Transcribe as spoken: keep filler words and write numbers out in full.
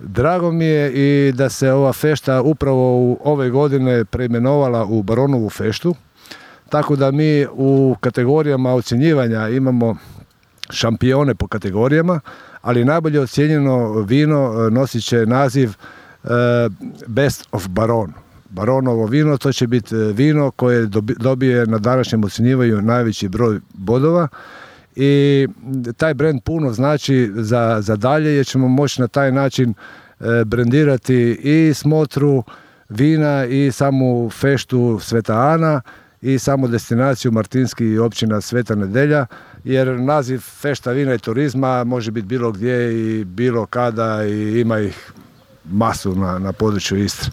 Drago mi je i da se ova fešta upravo u ove godine preimenovala u Baronovu feštu, tako da mi u kategorijama ocjenjivanja imamo šampione po kategorijama, ali najbolje ocjenjeno vino nosit će naziv uh, Best of Baron. Baronovo vino, to će biti vino koje dobije na današnjem ocjenjivanju najveći broj bodova i taj brend puno znači za, za dalje, jer ćemo moći na taj način e, brendirati i smotru vina i samu feštu Sveta Ana i samu destinaciju Martinski i općina Sveta Nedelja, jer naziv fešta vina i turizma može biti bilo gdje i bilo kada i ima ih masu na, na području Istre.